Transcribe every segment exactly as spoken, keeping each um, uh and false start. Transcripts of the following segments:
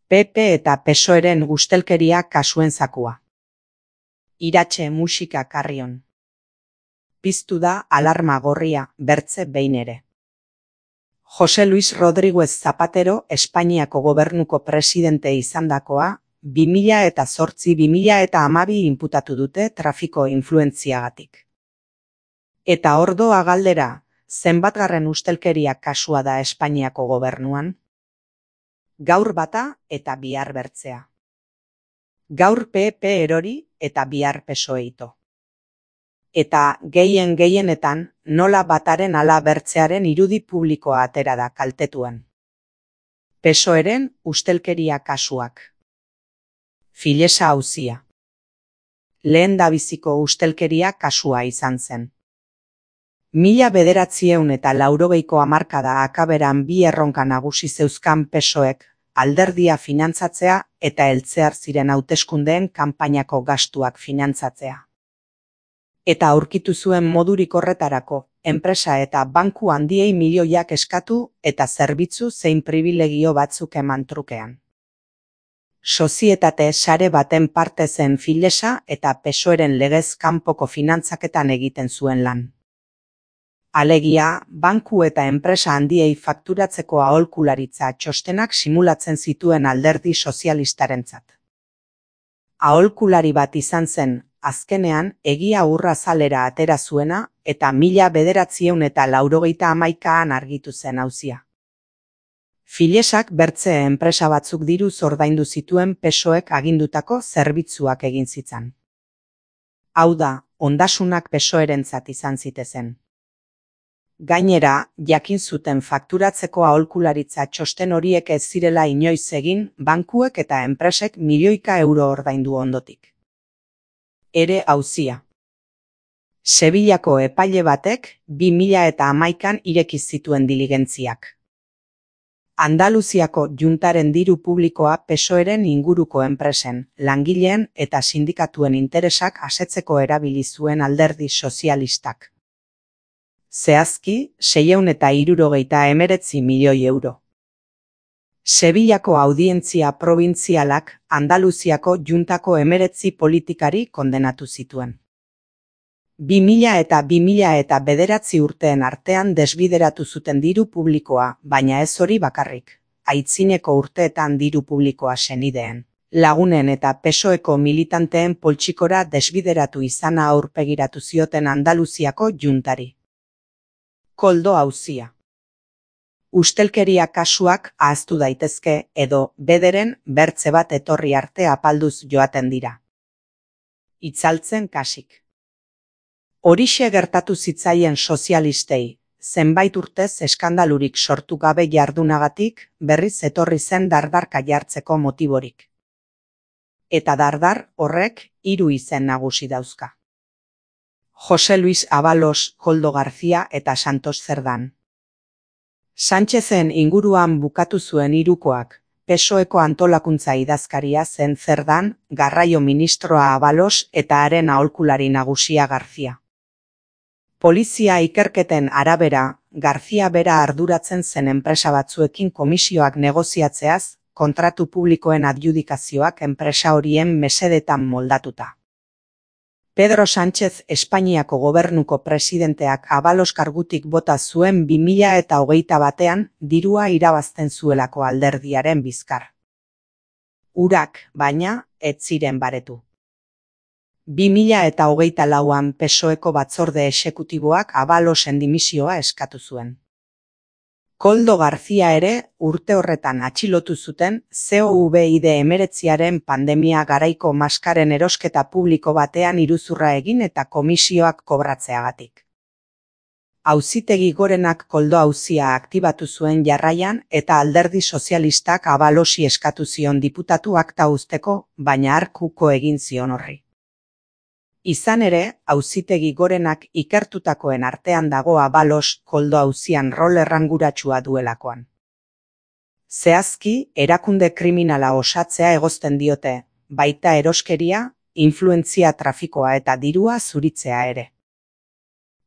P P eta PSOEren ustelkeria kasuen zakua. Iratxe musika karrion. Piztu da alarma gorria, bertze behin ere. Jose Luis Rodríguez Zapatero Espainiako gobernuko presidente izandakoa, bi mila eta zortzi bi mila eta hamabi inputatu dute trafiko influentziagatik. Eta ordoa galdera, zenbatgarren ustelkeria kasua da Espainiako gobernuan? Gaur bata eta bihar bertzea. Gaur P P erori eta bihar PSOE ito. Eta gehien gehienetan nola bataren ala bertzearen irudi publikoa atera da kaltetuen. PSOEren ustelkeria kasuak. Filesa auzia. Lehendabiziko ustelkeria kasua izan zen. Mila bederatzieun eta laurogeiko hamarkada akaberan bi erronka nagusi zeuzkan PSOEk alderdia finantzatzea eta heltzear ziren hauteskundeen kanpainako gastuak finantzatzea. Eta aurkitu zuen modurik horretarako, enpresa eta banku handiei milioiak eskatu eta zerbitzu zein pribilegio batzuk eman trukean. Sozietate sare baten parte zen Filesa eta PSOEren legez kanpoko finantzaketan egiten zuen lan. Alegia, banku eta enpresa handiei fakturatzeko aholkularitza txostenak simulatzen zituen alderdi sozialistarentzat. Aholkulari bat izan zen, azkenean egia urra zalera atera zuena eta mila bederatzieun eta laurogeita hamaikaan argitu zen auzia. Filesak bertze enpresa batzuk diruz ordaindu zituen PSOEk agindutako zerbitzuak egin zitzan. Hau da, ondasunak PSOErentzat izan zitezen. Gainera, jakin zuten fakturatzeko aholkularitza txosten horiek ez zirela inoiz egin bankuek eta enpresek milioika euro ordaindu ondotik. Ere auzia. Sevillako epaile batek bi mila eta hamaikan ireki zituen diligentziak. Andaluziako juntaren diru publikoa PSOEren inguruko enpresen, langileen eta sindikatuen interesak asetzeko erabili zuen alderdi sozialistak. Zehazki, seiehun eta hirurogeita hemeretzi milioi euro. Sevillako audientzia probintzialak Andaluziako juntako hemeretzi politikari kondenatu zituen. Bi mila eta bi mila eta bederatzi urteen artean desbideratu zuten diru publikoa, baina ez hori bakarrik. Aitzineko urteetan diru publikoa senideen, lagunen eta PSOEko militanteen poltsikora desbideratu izana aurpegiratu zioten Andaluziako juntari. Koldo auzia. Ustelkeria kasuak ahaztu daitezke edo bederen bertze bat etorri arte apalduz joaten dira. Itzaltzen kasik. Horixe gertatu zitzaien sozialistei, zenbait urtez eskandalurik sortu gabe jardunagatik berriz etorri zen dardarka jartzeko motiborik. Eta dardar horrek hiru izen nagusi dauzka. Jose Luis Abalos, Koldo García eta Santos Cerdán. Sánchezen inguruan bukatu zuen hirukoak, PSOEko antolakuntza idazkaria zen Cerdán, garraio ministroa Abalos eta haren aholkulari nagusia García. Polizia ikerketen arabera, García bera arduratzen zen enpresa batzuekin komisioak negoziatzeaz, kontratu publikoen adjudikazioak enpresa horien mesedetan moldatuta. Pedro Sánchez Espainiako gobernuko presidenteak Abalos kargutik bota zuen bi mila eta hogeita batean dirua irabazten zuelako alderdiaren bizkar. Urak, baina, ez ziren baretu. bi mila eta hogeita lauan PSOEko batzorde exekutiboak Abalosen dimisioa eskatu zuen. Koldo García ere urte horretan atxilotu zuten COVID hemeretziaren pandemia garaiko maskaren erosketa publiko batean iruzurra egin eta komisioak kobratzeagatik. Auzitegi Gorenak Koldo auzia aktibatu zuen jarraian eta alderdi sozialistak Abalosi eskatu zion diputatu akta uzteko, baina hark uko egin zion horri. Izan ere, Auzitegi Gorenak ikertutakoen artean dago Abalos Koldo auzian rol erranguratsua duelakoan. Zehazki, erakunde kriminala osatzea egozten diote, baita eroskeria, influentzia trafikoa eta dirua zuritzea ere.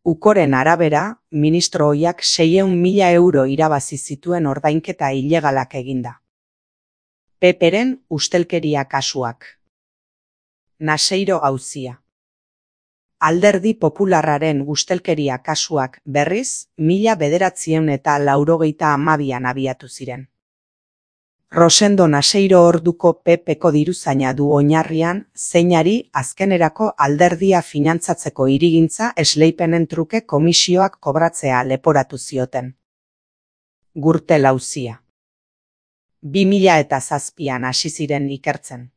Ukoren arabera, ministro ohiak seiehun mila euro irabazi zituen ordainketa ilegalak eginda. Peperen ustelkeria kasuak. Naseiro auzia. Alderdi Popularraren ustelkeria kasuak, berriz, mila bederatziehun eta laurogeita hamabian abiatu ziren. Rosendo Naseiro orduko Pepeko diruzaina du oinarrian, zeinari azkenerako alderdia finantzatzeko hirigintza esleipenen truke komisioak kobratzea leporatu zioten. Gürtel auzia. bi mila zazpian hasi ziren ikertzen.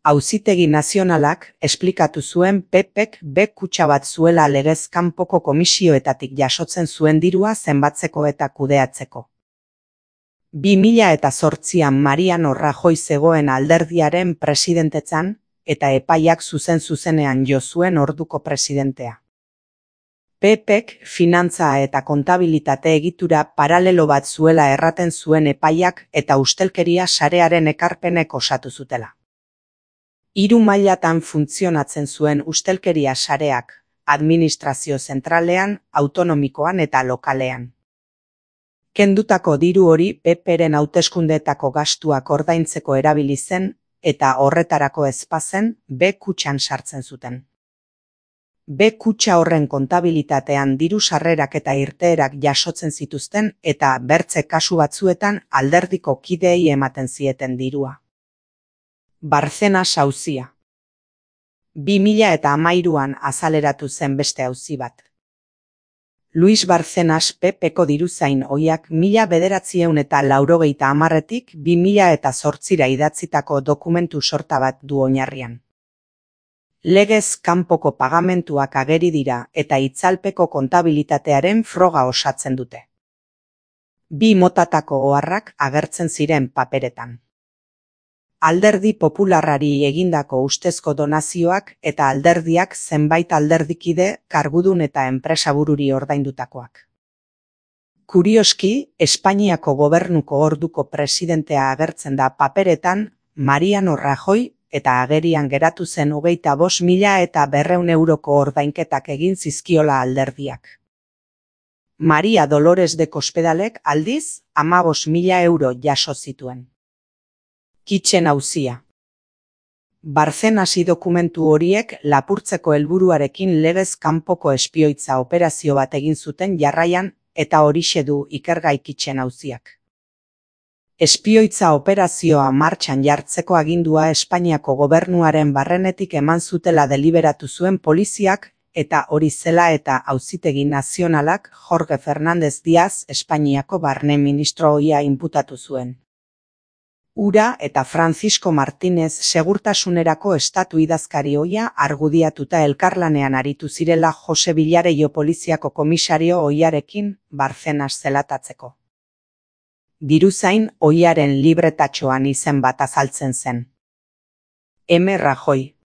Auzitegi Nazionalak esplikatu zuen Pepek be kutxa bat zuela legez kanpoko komisioetatik jasotzen zuen dirua zenbatzeko eta kudeatzeko. bi mila zortzian Mariano Rajoy zegoen alderdiaren presidentetzan, eta epaiak zuzen-zuzenean jo zuen orduko presidentea. Pepek finantza eta kontabilitate egitura paralelo bat zuela erraten zuen epaiak eta ustelkeria sarearen ekarpenek osatu zutela. Hiru mailatan funtzionatzen zuen ustelkeria sareak, administrazio zentralean, autonomikoan eta lokalean. Kendutako diru hori Peperen hauteskundeetako gastuak ordaintzeko erabili zen, eta horretarako ezpazen be kutxan sartzen zuten. Be kutxa horren kontabilitatean diru sarrerak eta irteerak jasotzen zituzten eta bertze kasu batzuetan alderdiko kideei ematen zieten dirua. Barcenas auzia. bi mila hamairuan azaleratu zen beste auzi bat. Luis Barcenas Pepeko diruzain ohiak mila bederatziehun eta laurogeita hamarretik bi mila zortzira idatzitako dokumentu sorta bat du oinarrian. Legez kanpoko pagamentuak ageri dira eta itzalpeko kontabilitatearen froga osatzen dute. Bi motatako oharrak agertzen ziren paperetan. Alderdi Popularrari egindako ustezko donazioak eta alderdiak zenbait alderdikide, kargudun eta enpresabururi ordaindutakoak. Kurioski, Espainiako gobernuko orduko presidentea agertzen da paperetan Mariano Rajoy eta agerian geratu zen hogeita bost mila eta berrehun euroko ordainketak egin zizkiola alderdiak. Maria Dolores de Cospedalek aldiz hamabost mila euro jaso zituen. Kitxen auzia. Barcenasi dokumentu horiek lapurtzeko helburuarekin legez kanpoko espioitza operazio bat egin zuten jarraian eta horixe du ikergai Kitxen auziak. Espioitza operazioa martxan jartzeko agindua Espainiako gobernuaren barrenetik eman zutela deliberatu zuen poliziak eta hori zela eta Auzitegi Nazionalak Jorge Fernández Díaz Espainiako barne ministro ohia inputatu zuen. Ura eta Francisco Martínez segurtasunerako estatu idazkari ohia argudiatuta elkarlanean aritu zirela Jose Villarejo poliziako komisario ohiarekin Barcenas zelatatzeko. Diruzain ohiaren libretatxoan izen bat azaltzen zen. M. Rajoy.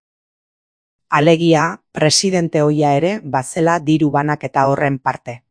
Alegia, presidente ohia ere bazela diru banaketa horren parte.